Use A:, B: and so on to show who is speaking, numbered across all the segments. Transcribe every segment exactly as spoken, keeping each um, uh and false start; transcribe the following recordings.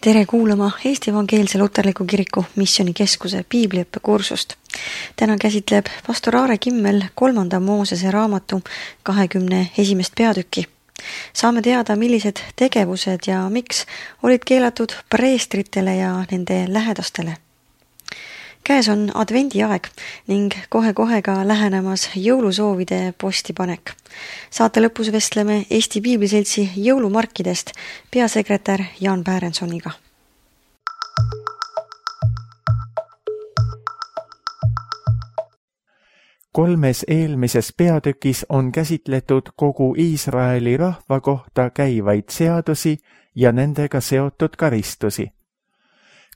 A: Tere kuulama Eesti Evangeelse Luterliku Kiriku Missioonikeskuse piibliõppekursust. Täna käsitleb pastor Aare Kimmel kolmanda Moosese raamatu kahekümne esimest peatükki. Saame teada, millised tegevused ja miks olid keelatud preestritele ja nende lähedastele. Käes on advendiaeg ning kohe-kohe ka lähenemas jõulusoovide postipanek. Saate lõpus vestleme Eesti Piibliseltsi jõulumarkidest peasekretär Jaan Päärensoniga.
B: Kolmes eelmises peatükis on käsitletud kogu Iisraeli rahva kohta käivaid seadusi ja nendega seotud karistusi.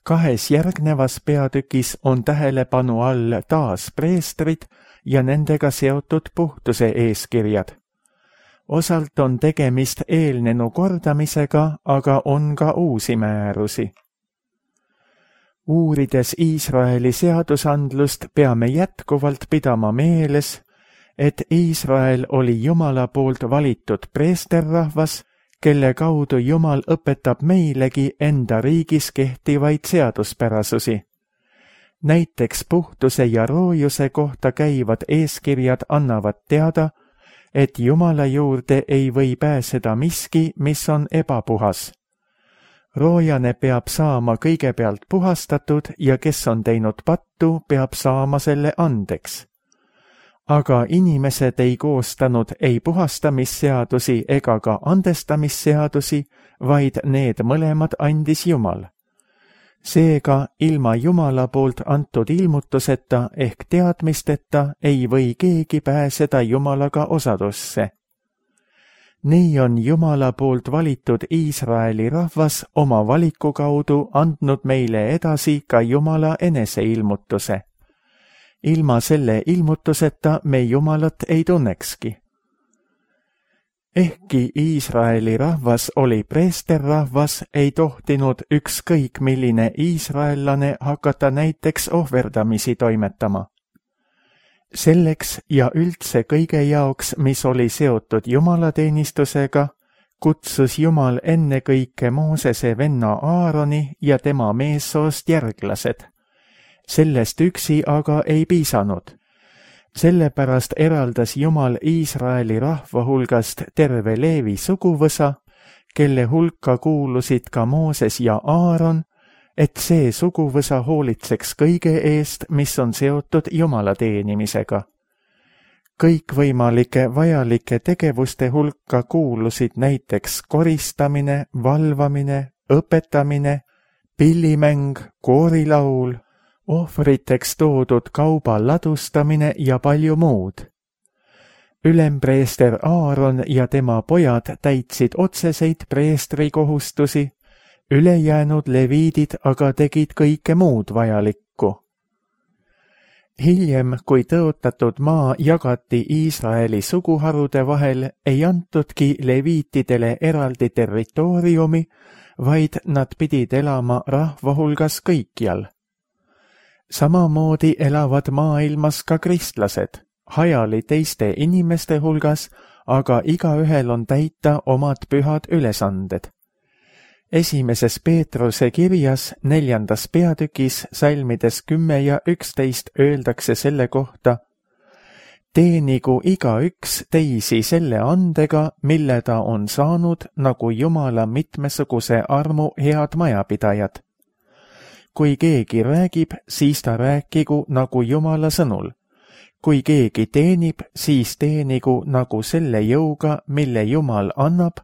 B: Kahes järgnevas peatükis on tähelepanu all taas preestrid ja nendega seotud puhtuse eeskirjad. Osalt on tegemist eelnenu kordamisega, aga on ka uusi määrusi. Uurides Iisraeli seadusandlust peame jätkuvalt pidama meeles, et Iisrael oli Jumala poolt valitud preesterrahvas, kelle kaudu Jumal õpetab meilegi enda riigis kehtivaid seaduspärasusi. Näiteks puhtuse ja roojuse kohta käivad eeskirjad annavad teada, et Jumala juurde ei või pääseda miski, mis on ebapuhas. Roojane peab saama kõigepealt puhastatud ja kes on teinud pattu, peab saama selle andeks. Aga inimesed ei koostanud ei puhastamisseadusi ega ka andestamisseadusi, vaid need mõlemad andis Jumal. Seega ilma Jumala poolt antud ilmutuseta ehk teadmisteta ei või keegi pääseda Jumalaga osadusse. Nii on Jumala poolt valitud Iisraeli rahvas oma valiku kaudu andnud meile edasi ka Jumala eneseilmutuse. Ilma selle ilmutuseta me Jumalat ei tunnekski. Ehkki Iisraeli rahvas oli preesterrahvas, ei tohtinud ükskõik milline iisraellane hakata näiteks ohverdamisi toimetama. Selleks ja üldse kõige jaoks, mis oli seotud jumalateenistusega, kutsus Jumal ennekõike Moosese venna Aaroni ja tema meessoost järglased. Sellest üksi aga ei piisanud. Sellepärast eraldas Jumal Iisraeli rahva hulgast terve Leevi suguvõsa, kelle hulka kuulusid ka Mooses ja Aaron, et see suguvõsa hoolitseks kõige eest, mis on seotud Jumala teenimisega. Kõikvõimalike vajalike tegevuste hulka kuulusid näiteks koristamine, valvamine, õpetamine, pillimäng, koorilaul, ohvriteks toodud kauba ladustamine ja palju muud. Ülempreester Aaron ja tema pojad täitsid otseseid preestri kohustusi, ülejäänud leviidid aga tegid kõike muud vajalikku. Hiljem, kui tõotatud maa jagati Iisraeli suguharude vahel, ei antudki leviitidele eraldi territooriumi, vaid nad pidid elama rahva hulgas kõikjal. Samamoodi elavad maailmas ka kristlased, hajali teiste inimeste hulgas, aga igaühel on täita omad pühad ülesanded. Esimeses Peetruse kirjas neljandas peatükis salmides kümme ja üksteist öeldakse selle kohta: teenigu igaüks teisi selle andega, mille ta on saanud nagu Jumala mitmesuguse armu head majapidajad. Kui keegi räägib, siis ta rääkigu nagu Jumala sõnul. Kui keegi teenib, siis teenigu nagu selle jõuga, mille Jumal annab,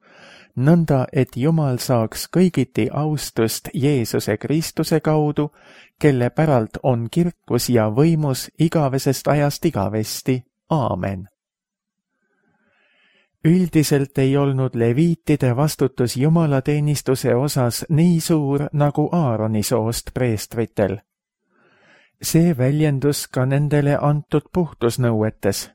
B: nõnda et Jumal saaks kõigiti austust Jeesuse Kristuse kaudu, kelle päralt on kirkus ja võimus igavesest ajast igavesti. Aamen. Üldiselt ei olnud leviitide vastutus jumalateenistuse osas nii suur nagu Aaroni soost preestritel. See väljendus ka nendele antud puhtusnõuetes.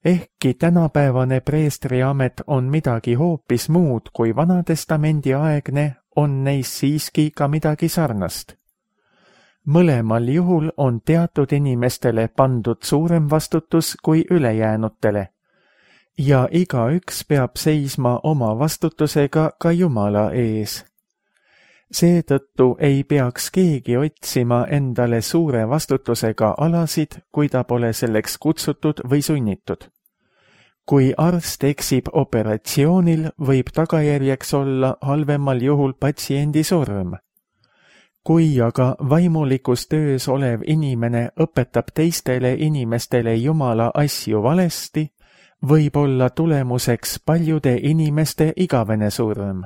B: Ehkki tänapäevane preestriamet on midagi hoopis muud kui Vanatestamendi aegne, on neis siiski ka midagi sarnast. Mõlemal juhul on teatud inimestele pandud suurem vastutus kui ülejäänutele. Ja igaüks peab seisma oma vastutusega ka Jumala ees. Seetõttu ei peaks keegi otsima endale suure vastutusega alasid, kui ta pole selleks kutsutud või sunnitud. Kui arst eksib operatsioonil, võib tagajärjeks olla halvemal juhul patsiendi surm. Kui aga vaimulikus töös olev inimene õpetab teistele inimestele Jumala asju valesti, võib olla tulemuseks paljude inimeste igavene surm.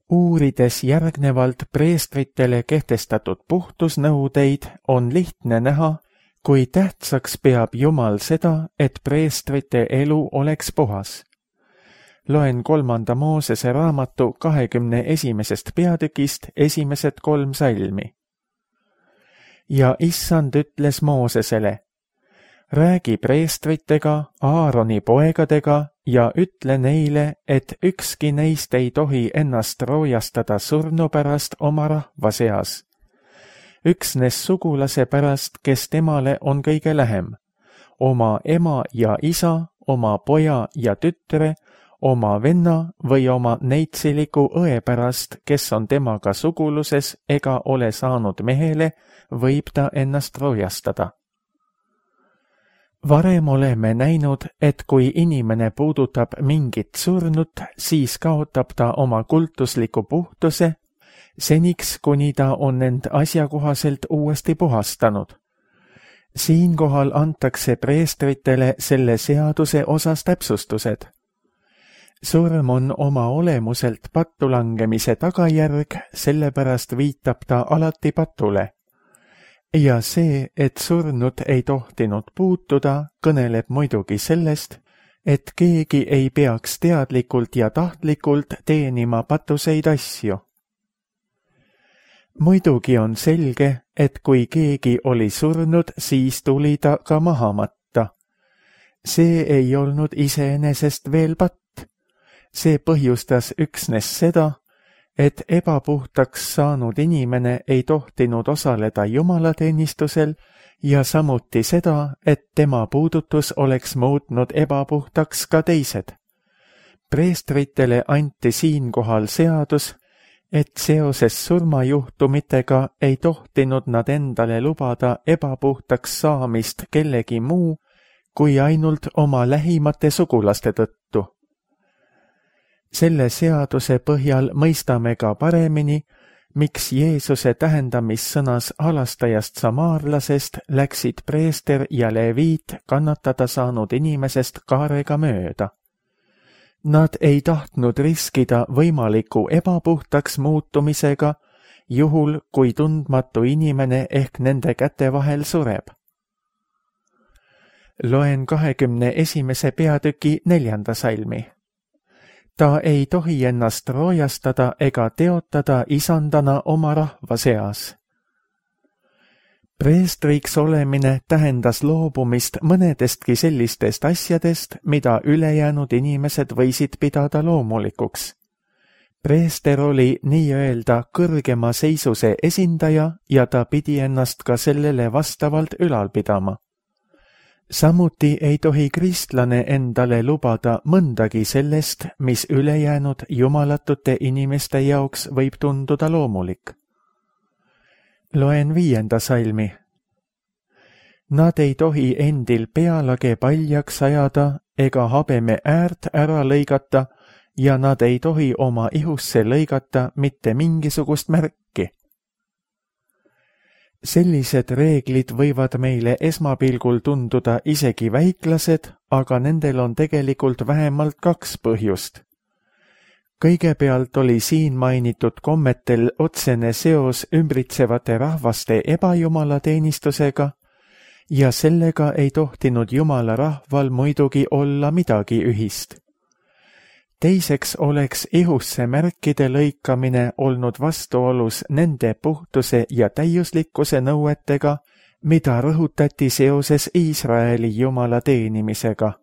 B: Uurides järgnevalt preestritele kehtestatud puhtusnõudeid, on lihtne näha, kui tähtsaks peab Jumal seda, et preestrite elu oleks puhas. Loen kolmanda Moosese raamatu kahekümne esimesest peatükist esimesed kolm salmi. Ja issand ütles Moosesele, räägi preestritega, Aaroni poegadega ja ütle neile, et ükski neist ei tohi ennast roojastada surnu pärast oma rahva seas. Üksnes sugulase pärast, kes temale on kõige lähem, oma ema ja isa, oma poja ja tütre, oma venna või oma neitsiliku õe pärast, kes on temaga suguluses ega ole saanud mehele, võib ta ennast roojastada. Varem oleme näinud, et kui inimene puudutab mingit surnut, siis kaotab ta oma kultusliku puhtuse, seniks kuni ta on end asjakohaselt uuesti puhastanud. Siinkohal antakse preestritele selle seaduse osas täpsustused. Surm on oma olemuselt pattulangemise tagajärg, sellepärast viitab ta alati patule. Ja see, et surnut ei tohtinud puutuda, kõneleb muidugi sellest, et keegi ei peaks teadlikult ja tahtlikult teenima patuseid asju. Muidugi on selge, et kui keegi oli surnud, siis tuli ta ka maha matta. See ei olnud iseenesest veel patt. See põhjustas üksnes seda, et ebapuhtaks saanud inimene ei tohtinud osaleda jumalateenistusel ja samuti seda, et tema puudutus oleks muutnud ebapuhtaks ka teised. Preestritele anti siinkohal seadus, et seoses surmajuhtumitega ei tohtinud nad endale lubada ebapuhtaks saamist kellegi muu kui ainult oma lähimate sugulaste tõttu. Selle seaduse põhjal mõistame ka paremini, miks Jeesuse tähendamissõnas halastajast samaarlasest läksid preester ja leviit kannatada saanud inimesest kaarega mööda. Nad ei tahtnud riskida võimaliku ebapuhtaks muutumisega, juhul kui tundmatu inimene ehk nende käte vahel sureb. Loen kahekümne esimese peatüki neljanda salmi. Ta ei tohi ennast roojastada ega teotada isandana oma rahva seas. Preestriks olemine tähendas loobumist mõnedestki sellistest asjadest, mida ülejäänud inimesed võisid pidada loomulikuks. Preester oli nii-öelda kõrgema seisuse esindaja ja ta pidi ennast ka sellele vastavalt ülal pidama. Samuti ei tohi kristlane endale lubada mõndagi sellest, mis ülejäänud jumalatute inimeste jaoks võib tunduda loomulik. Loen viienda salmi. Nad ei tohi endil pealage paljaks ajada ega habeme äärt ära lõigata ja nad ei tohi oma ihusse lõigata mitte mingisugust märki. Sellised reeglid võivad meile esmapilgul tunduda isegi väiklased, aga nendel on tegelikult vähemalt kaks põhjust. Kõigepealt oli siin mainitud kommetel otsene seos ümbritsevate rahvaste ebajumalateenistusega ja sellega ei tohtinud Jumala rahval muidugi olla midagi ühist. Teiseks oleks ihusse märkide lõikamine olnud vastuolus nende puhtuse ja täiuslikkuse nõuetega, mida rõhutati seoses Iisraeli Jumala teenimisega.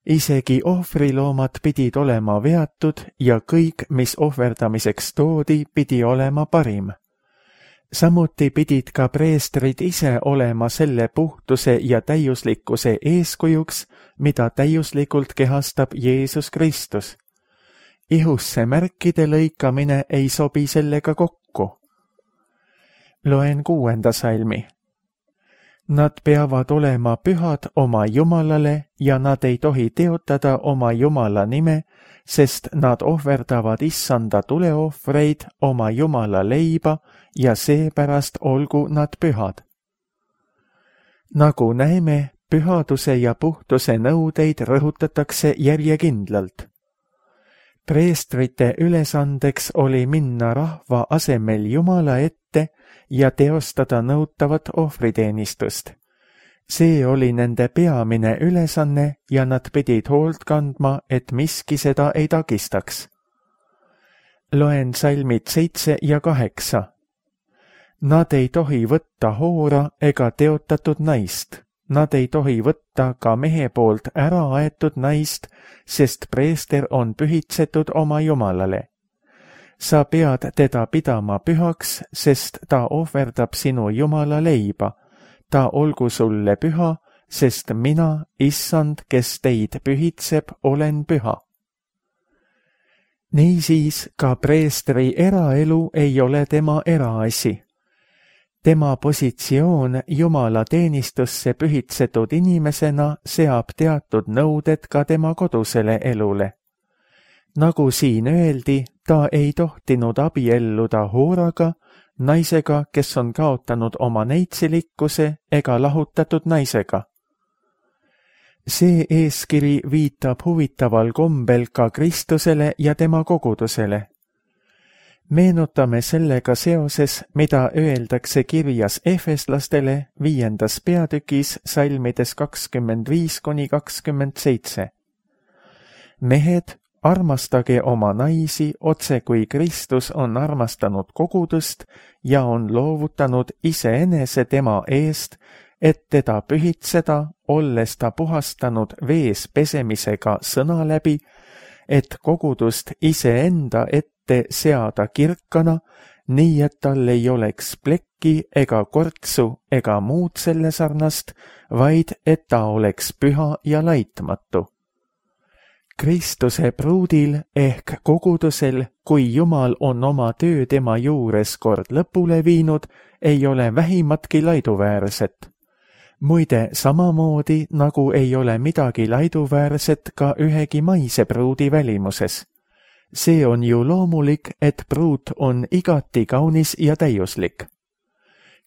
B: Isegi ohvriloomad pidid olema veatud ja kõik, mis ohverdamiseks toodi, pidi olema parim. Samuti pidid ka preestrid ise olema selle puhtuse ja täiuslikkuse eeskujuks, mida täiuslikult kehastab Jeesus Kristus. ihusse märkide lõikamine ei sobi sellega kokku. Loen kuuenda salmi. Nad peavad olema pühad oma Jumalale ja nad ei tohi teotada oma Jumala nime, sest nad ohverdavad issanda tuleohvreid oma Jumala leiba ja seepärast olgu nad pühad. Nagu näeme, pühaduse ja puhtuse nõudeid rõhutatakse järjekindlalt. Preestrite ülesandeks oli minna rahva asemel Jumala ette ja teostada nõutavat ohvriteenistust. See oli nende peamine ülesanne ja nad pidid hoolt kandma, et miski seda ei takistaks. Loen salmid seitse ja kaheksa. Nad ei tohi võtta hoora ega teotatud naist. Nad ei tohi võtta ka mehe poolt ära aetud naist, sest preester on pühitsetud oma Jumalale. Sa pead teda pidama pühaks, sest ta ohverdab sinu Jumala leiba. Ta olgu sulle püha, sest mina, issand, kes teid pühitseb, olen püha. Niisiis ka preestri eraelu ei ole tema eraasi. Tema positsioon Jumala teenistusse pühitsetud inimesena seab teatud nõuded ka tema kodusele elule. Nagu siin öeldi, ta ei tohtinud abielluda hooraga, naisega, kes on kaotanud oma neitsilikkuse ega lahutatud naisega. See eeskiri viitab huvitaval kombel ka Kristusele ja tema kogudusele. Meenutame sellega seoses, mida öeldakse kirjas Efeslastele viiendas peatükis salmides kakskümmend viis kuni kakskümmend seitse. Mehed, armastage oma naisi otse kui Kristus on armastanud kogudust ja on loovutanud iseenese tema eest, et teda pühitseda, olles ta puhastanud vees pesemisega sõna läbi, et kogudust iseenda ette seada kirkana, nii et tal ei oleks plekki ega kortsu ega muud selle sarnast, vaid et ta oleks püha ja laitmatu. Kristuse pruudil ehk kogudusel, kui Jumal on oma töö tema juures kord lõpule viinud, ei ole vähimatki laiduväärset. Muide, samamoodi nagu ei ole midagi laiduväärset ka ühegi maise pruudi välimuses. See on ju loomulik, et pruut on igati kaunis ja täiuslik.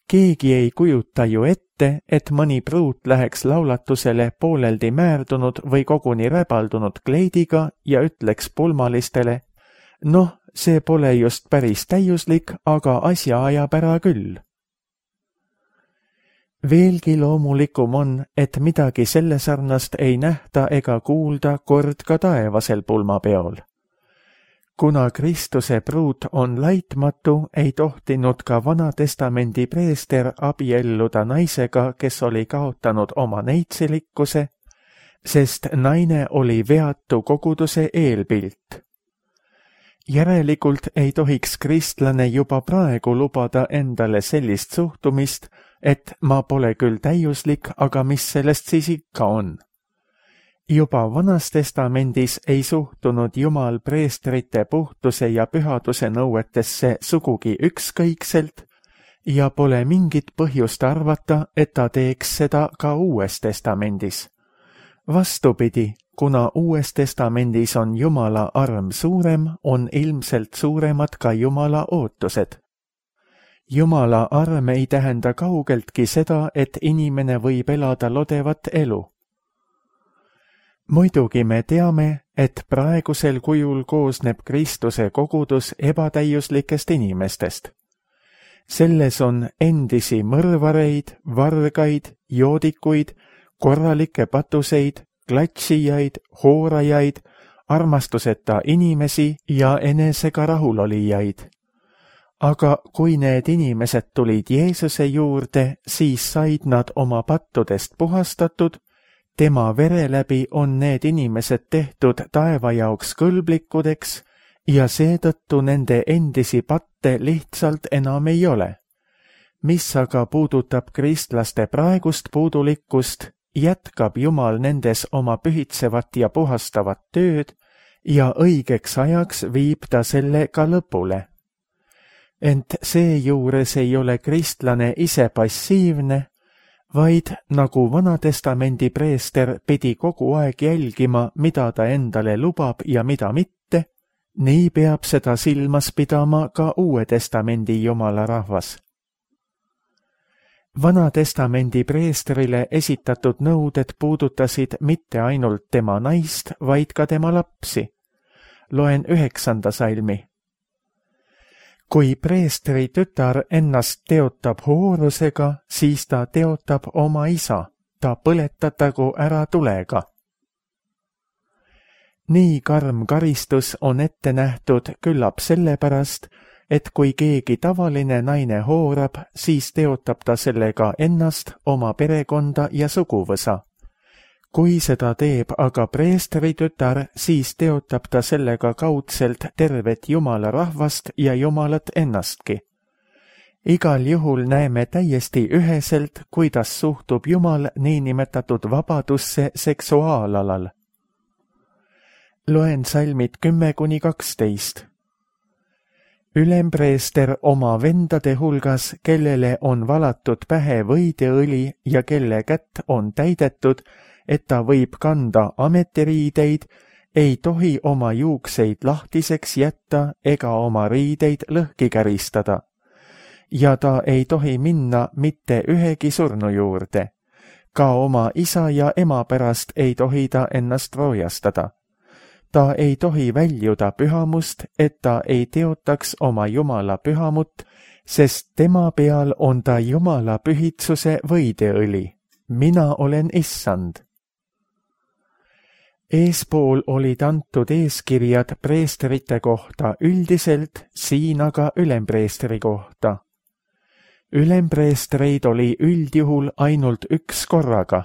B: Keegi ei kujuta ju ette, et mõni pruut läheks laulatusele pooleldi määrdunud või koguni räbaldunud kleidiga ja ütleks pulmalistele, noh, see pole just päris täiuslik, aga asja ajab ära küll. Veelgi loomulikum on, et midagi selle sarnast ei nähta ega kuulda kord ka taevasel pulmapeol. Kuna Kristuse pruut on laitmatu, ei tohtinud ka Vanatestamendi preester abielluda naisega, kes oli kaotanud oma neitsilikkuse, sest naine oli veatu koguduse eelpilt. Järelikult ei tohiks kristlane juba praegu lubada endale sellist suhtumist, et ma pole küll täiuslik, aga mis sellest siis ikka on. Juba Vanas Testamendis ei suhtunud Jumal preestrite puhtuse ja pühaduse nõuetesse sugugi ükskõikselt ja pole mingit põhjust arvata, et ta teeks seda ka Uues Testamendis. Vastupidi, kuna Uues Testamendis on Jumala arm suurem, on ilmselt suuremad ka Jumala ootused. Jumala arm ei tähenda kaugeltki seda, et inimene võib elada lodevat elu. Muidugi me teame, et praegusel kujul koosneb Kristuse kogudus ebatäiuslikest inimestest. Selles on endisi mõrvareid, vargaid, joodikuid, korralikke patuseid, klatsijaid, hoorajaid, armastuseta inimesi ja enesega rahulolijaid. Aga kui need inimesed tulid Jeesuse juurde, siis said nad oma pattudest puhastatud, tema vere läbi on need inimesed tehtud taeva jaoks kõlblikudeks ja seetõttu nende endisi patte lihtsalt enam ei ole. Mis aga puudutab kristlaste praegust puudulikkust, jätkab Jumal nendes oma pühitsevat ja puhastavat tööd ja õigeks ajaks viib ta selle ka lõpule. Ent seejuures ei ole kristlane ise passiivne, vaid nagu Vanatestamendi preester pidi kogu aeg jälgima, mida ta endale lubab ja mida mitte, nii peab seda silmas pidama ka Uue Testamendi Jumala rahvas. Vanatestamendi preestrile esitatud nõuded puudutasid mitte ainult tema naist, vaid ka tema lapsi. Loen üheksanda salmi. Kui preestri tütar ennast teotab hoorusega, siis ta teotab oma isa, ta põletatagu ära tulega. Nii karm karistus on ette nähtud küllap sellepärast, et kui keegi tavaline naine hoorab, siis teotab ta sellega ennast, oma perekonda ja suguvõsa. Kui seda teeb aga preestri tütar, siis teotab ta sellega kaudselt tervet Jumala rahvast ja Jumalat ennastki. Igal juhul näeme täiesti üheselt, kuidas suhtub Jumal niinimetatud vabadusse seksuaalalal. Loen salmid kümme kuni kaksteist. Ülempreester oma vendade hulgas, kellele on valatud pähe võideõli ja kelle kätt on täidetud, et ta võib kanda ametiriideid, ei tohi oma juukseid lahtiseks jätta ega oma riideid lõhki käristada. Ja ta ei tohi minna mitte ühegi surnu juurde. Ka oma isa ja ema pärast ei tohi ta ennast roojastada. Ta ei tohi väljuda pühamust, et ta ei teotaks oma Jumala pühamut, sest tema peal on ta Jumala pühitsuse võideõli. Mina olen issand. Eespool olid antud eeskirjad preesterite kohta üldiselt, siin aga ülempreestri kohta. Ülempreestreid oli üldjuhul ainult üks korraga.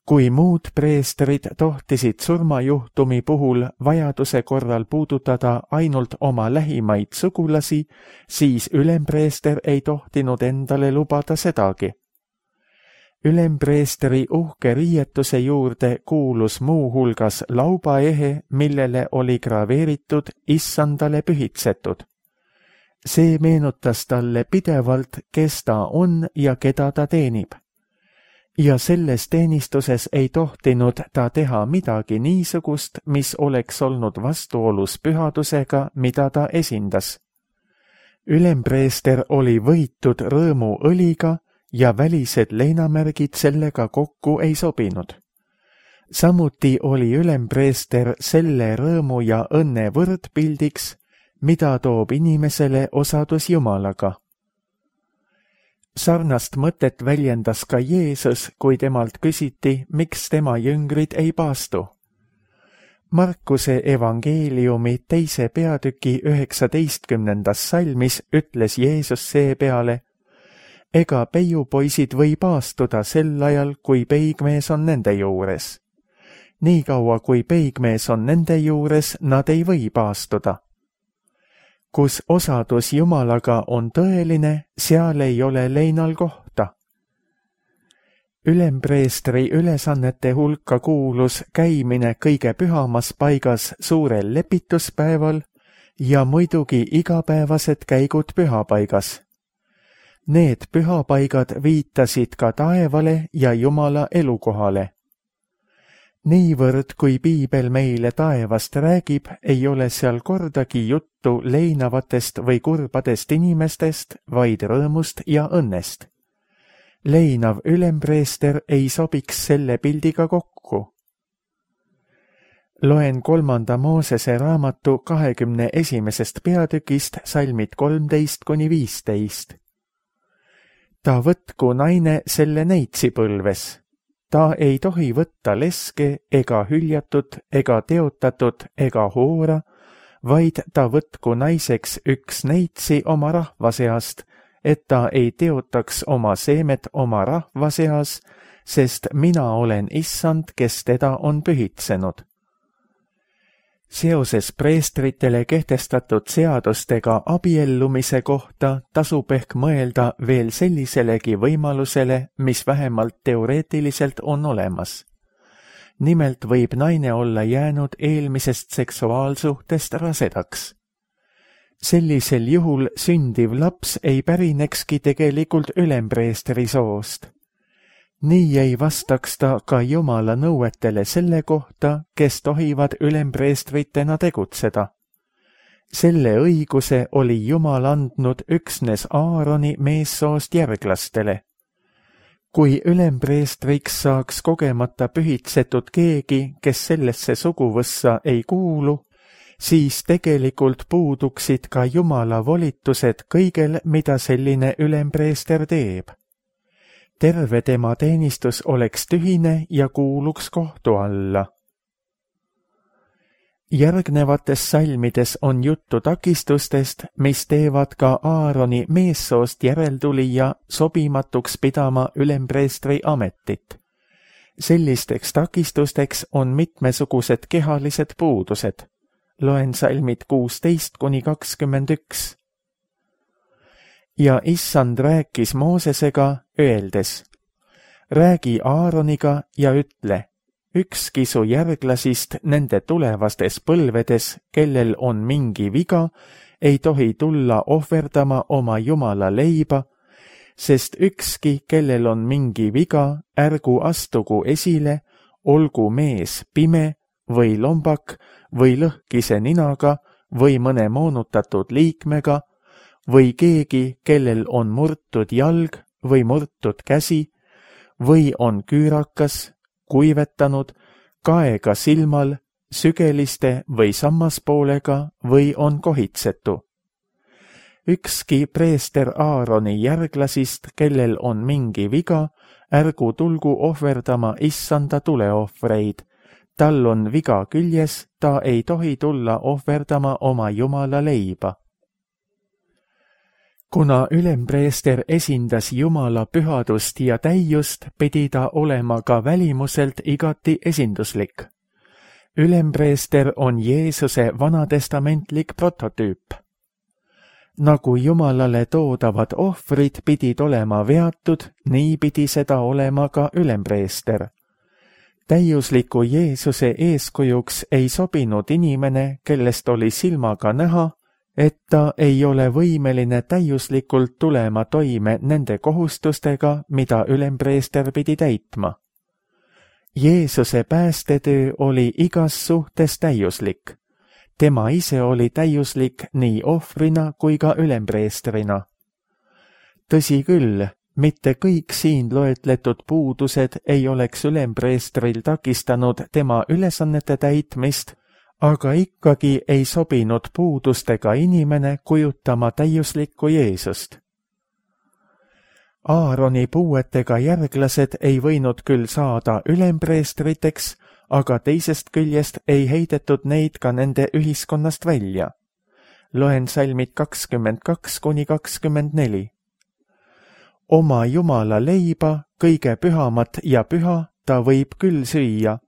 B: Kui muud preestrid tohtisid surmajuhtumi puhul vajaduse korral puudutada ainult oma lähimaid sugulasi, siis ülempreester ei tohtinud endale lubada sedagi. Ülempreestri uhke riietuse juurde kuulus muu hulgas laubaehe, millele oli graveeritud issandale pühitsetud. See meenutas talle pidevalt, kes ta on ja keda ta teenib. Ja selles teenistuses ei tohtinud ta teha midagi niisugust, mis oleks olnud vastuolus pühadusega, mida ta esindas. Ülempreester oli võitud rõõmuõliga, ja välised leinamärgid sellega kokku ei sobinud. Samuti oli ülempreester selle rõõmu ja õnne võrdpildiks, mida toob inimesele osadus Jumalaga. Sarnast mõtet väljendas ka Jeesus, kui temalt küsiti, miks tema jüngrid ei paastu. Markuse evangeeliumi teise peatüki üheksateistkümnendas salmis ütles Jeesus seepeale, ega peiupoisid või paastuda sel ajal, kui peigmees on nende juures. Niikaua kui peigmees on nende juures, nad ei või paastuda. Kus osadus Jumalaga on tõeline, seal ei ole leinal kohta. Ülempreestri ülesannete hulka kuulus käimine kõige pühamas paigas suurel lepituspäeval ja muidugi igapäevased käigud pühapaigas. Need pühapaigad viitasid ka taevale ja Jumala elukohale. Niivõrd, kui piibel meile taevast räägib, ei ole seal kordagi juttu leinavatest või kurbadest inimestest, vaid rõõmust ja õnnest. Leinav ülempreester ei sobiks selle pildiga kokku. Loen kolmanda Moosese raamatu kahekümne esimesest peatükist salmid kolmteist kuni viisteist. Ta võtku naine selle neitsipõlves. Ta ei tohi võtta leske ega hüljatut ega teotatud ega hoora, vaid ta võtku naiseks üks neitsi oma rahva seast, et ta ei teotaks oma seemet oma rahva seas, sest mina olen issand, kes teda on pühitsenud. Seoses preestritele kehtestatud seadustega abiellumise kohta tasub ehk mõelda veel selliselegi võimalusele, mis vähemalt teoreetiliselt on olemas. nimelt võib naine olla jäänud eelmisest seksuaalsuhtest rasedaks. Sellisel juhul sündiv laps ei pärinekski tegelikult ülempreestri soost. Nii ei vastaks ta ka Jumala nõuetele selle kohta, kes tohivad ülempreestritena tegutseda. Selle õiguse oli Jumal andnud üksnes Aaroni meessoost järglastele. Kui ülempreestriks saaks kogemata pühitsetud keegi, kes sellesse suguvõssa ei kuulu, siis tegelikult puuduksid ka Jumala volitused kõigel, mida selline ülempreester teeb. Terve tema teenistus oleks tühine ja kuuluks kohtu alla. Järgnevates salmides on juttu takistustest, mis teevad ka Aaroni meessoost järeltulija sobimatuks pidama ülempreestri ametit. Sellisteks takistusteks on mitmesugused kehalised puudused. Loen salmid kuusteist kuni kakskümmend üks. Ja issand rääkis Moosesega, öeldes, räägi Aaroniga ja ütle, ükski su järglasist nende tulevastes põlvedes, kellel on mingi viga, ei tohi tulla ohverdama oma Jumala leiba, sest ükski, kellel on mingi viga, ärgu astugu esile, olgu mees pime või lombak või lõhkise ninaga või mõne moonutatud liikmega või keegi, kellel on murtud jalg või murtud käsi või on küürakas, kuivetanud, kaega silmal, sügeliste või sammaspoolega või on kohitsetu. Ükski preester Aaroni järglasist, kellel on mingi viga, ärgu tulgu ohverdama issanda tuleohvreid. Tal on viga küljes, ta ei tohi tulla ohverdama oma Jumala leiba. Kuna ülempreester esindas Jumala pühadust ja täiust, pidi ta olema ka välimuselt igati esinduslik. Ülempreester on Jeesuse vanatestamentlik prototüüp. Nagu Jumalale toodavad ohvrid pidid olema veatud, nii pidi seda olema ka ülempreester. Täiusliku Jeesuse eeskujuks ei sobinud inimene, kellest oli silmaga näha, et ta ei ole võimeline täiuslikult tulema toime nende kohustustega, mida ülempreester pidi täitma. Jeesuse päästetöö oli igas suhtes täiuslik. Tema ise oli täiuslik nii ohvrina kui ka ülempreestrina. Tõsi küll, mitte kõik siin loetletud puudused ei oleks ülempreestril takistanud tema ülesannete täitmist, aga ikkagi ei sobinud puudustega inimene kujutama täiuslikku Jeesust. Aaroni puuetega järglased ei võinud küll saada ülempreestriteks, aga teisest küljest ei heidetud neid ka nende ühiskonnast välja. Loen salmid kakskümmend kaks kuni kakskümmend neli. Oma Jumala leiba, kõige pühamat ja püha, ta võib küll süüa.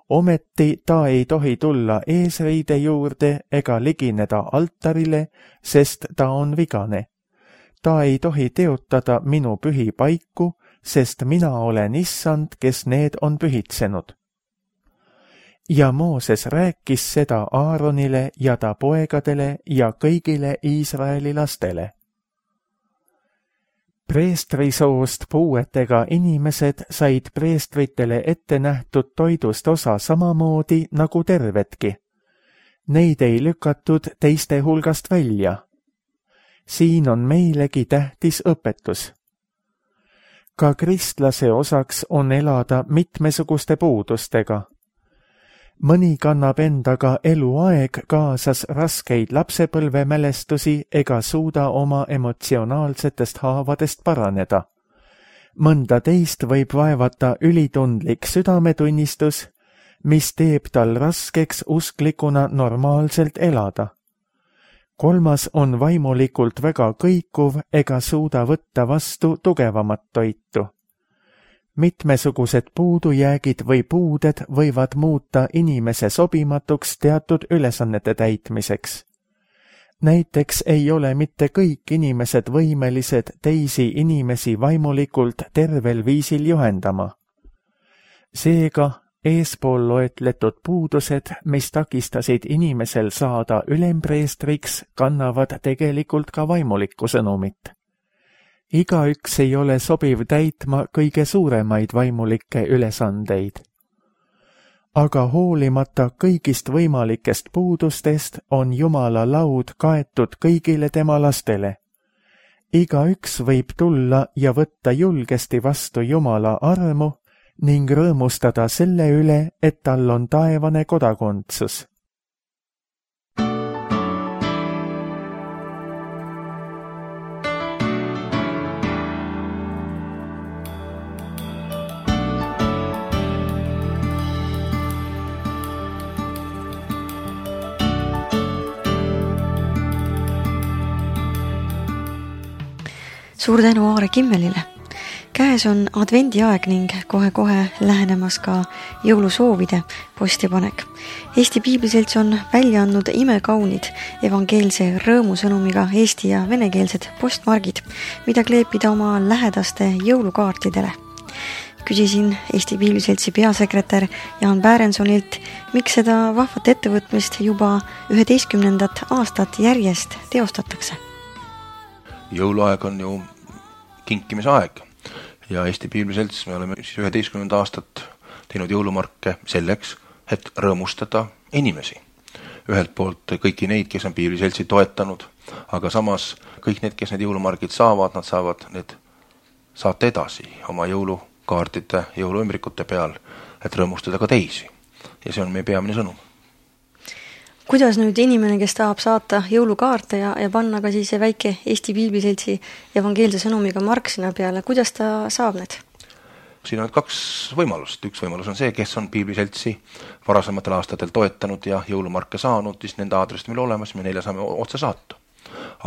B: Ometi ta ei tohi tulla eesriide juurde ega ligineda altarile, sest ta on vigane. Ta ei tohi teotada minu pühi paiku, sest mina olen issand, kes need on pühitsenud. Ja Mooses rääkis seda Aaronile ja ta poegadele ja kõigile Iisraeli lastele. Preestrisoost puuetega inimesed said preestritele ette nähtud toidust osa samamoodi nagu tervedki. Neid ei lükatud teiste hulgast välja. Siin on meilegi tähtis õpetus. Ka kristlase osaks on elada mitmesuguste puudustega. Mõni kannab endaga eluaeg kaasas raskeid lapsepõlvemälestusi ega suuda oma emotsionaalsetest haavadest paraneda. Mõnda teist võib vaevata ülitundlik südametunnistus, mis teeb tal raskeks usklikuna normaalselt elada. Kolmas on vaimulikult väga kõikuv ega suuda võtta vastu tugevamat toitu. Mitmesugused puudujäägid või puuded võivad muuta inimese sobimatuks teatud ülesannete täitmiseks. Näiteks ei ole mitte kõik inimesed võimelised teisi inimesi vaimulikult tervel viisil juhendama. Seega eespool loetletud puudused, mis takistasid inimesel saada ülempreestriks, kannavad tegelikult ka vaimulikku sõnumit. Igaüks ei ole sobiv täitma kõige suuremaid vaimulikke ülesandeid. Aga hoolimata kõigist võimalikest puudustest on Jumala laud kaetud kõigile tema lastele. Igaüks võib tulla ja võtta julgesti vastu Jumala armu ning rõõmustada selle üle, et tal on taevane kodakondsus.
A: Suur tänu Aare Kimmelile. Käes on advendiaeg ning kohe-kohe lähenemas ka jõulusoovide postipanek. Eesti Piibliselts on välja andnud imekaunid evangeelse rõõmusõnumiga eesti ja venekeelsed postmargid, mida kleepida oma lähedaste jõulukaartidele. Küsisin Eesti Piibliseltsi peasekretär Jaan Päärensonilt, miks seda vahvat ettevõtmist juba üheteistkümnendat aastat järjest teostatakse.
C: Jõuluaeg on ju kinkimise aeg ja Eesti Piibliselts me oleme siis üheteistkümnenda aastat teinud jõulumarke selleks, et rõõmustada inimesi. Ühelt poolt kõiki neid, kes on Piibliseltsi toetanud, aga samas kõik need, kes need jõulumargid saavad, nad saavad need saata edasi oma jõulukaartide, jõuluümbrikute peal, et rõõmustada ka teisi. Ja see on meie peamine sõnum.
A: Kuidas nüüd inimene, kes tahab saata jõulukaarte ja, ja panna ka siis väike Eesti Piibliseltsi evangeelse sõnumiga mark sinna peale, kuidas ta saab need?
C: Siin on kaks võimalust. Üks võimalus on see, kes on Piibliseltsi varasematel aastatel toetanud ja jõulumarke saanud, siis nende aadressid meil olemas, me neile saame otse saata.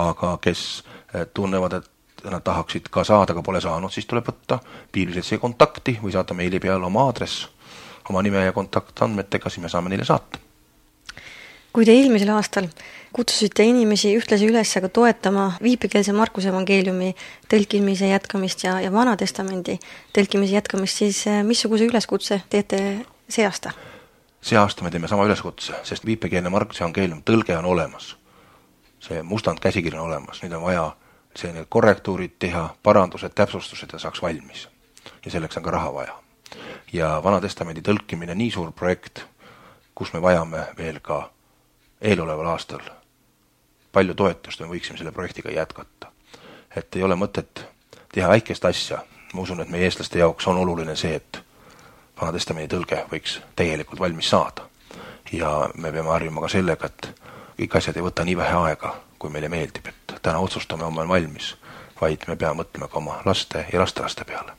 C: Aga kes tunnevad, et nad tahaksid ka saada, aga pole saanud, siis tuleb võtta Piibliseltsi kontakti või saata meili peale oma aadress, oma nime ja kontaktandmetega, siis me saame neile saata.
A: Kui te eelmisel aastal kutsusite inimesi ühtlasi üles aga toetama viipekeelse Markuse evangeeliumi tõlkimise jätkamist ja, ja Vanatestamendi tõlkimise jätkamist, siis missuguse üleskutse teete see aasta?
C: See aasta me teeme sama üleskutse, sest viipekeelne Markuse evangeelium tõlge on olemas. See mustand käsikiri on olemas, nüüd on vaja see need korrektuurid teha, parandused, täpsustused ja saaks valmis. Ja selleks on ka raha vaja. Ja Vanatestamendi tõlkimine nii suur projekt, kus me vajame veel ka eeloleval aastal palju toetust, me võiksime selle projektiga jätkata. Et ei ole mõtet teha väikest asja. Ma usun, et meie eestlaste jaoks on oluline see, et Vanatestamendi tõlge võiks tegelikult valmis saada. Ja me peame harjuma ka sellega, et kõik asjad ei võta nii vähe aega, kui meile meeldib, et täna otsustame oma valmis, vaid me peame mõtlema ka oma laste ja lastelaste peale.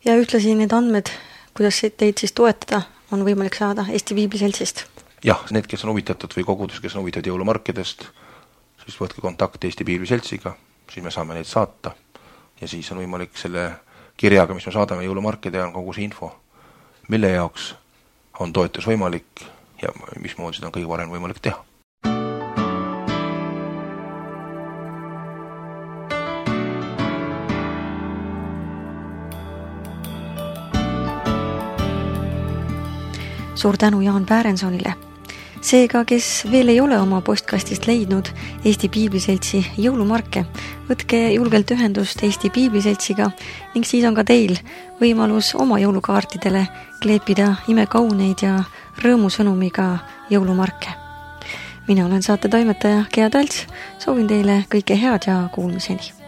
A: Ja ühtlasi need andmed, kuidas teid siis toetada, on võimalik saada Eesti Piibliseltsist.
C: Jah, need, kes on huvitatud või kogudus, kes on huvitatud jõulumarkidest, siis võtke kontakti Eesti Piibliseltsiga, siis me saame neid saata ja siis on võimalik selle kirjaga, mis me saadame jõulumarkide, on kogu see info, mille jaoks on toetus võimalik ja mismoodi seda on kõige varem võimalik teha.
A: Suur tänu Jaan Päärensonile. Seega, kes veel ei ole oma postkastist leidnud Eesti Piibliseltsi jõulumarke, võtke julgelt ühendust Eesti Piibliseltsiga ning siis on ka teil võimalus oma jõulukaartidele kleepida imekauneid ja rõõmusõnumiga jõulumarke. Mina olen saate toimetaja Gea Talts, soovin teile kõike head ja kuulmiseni.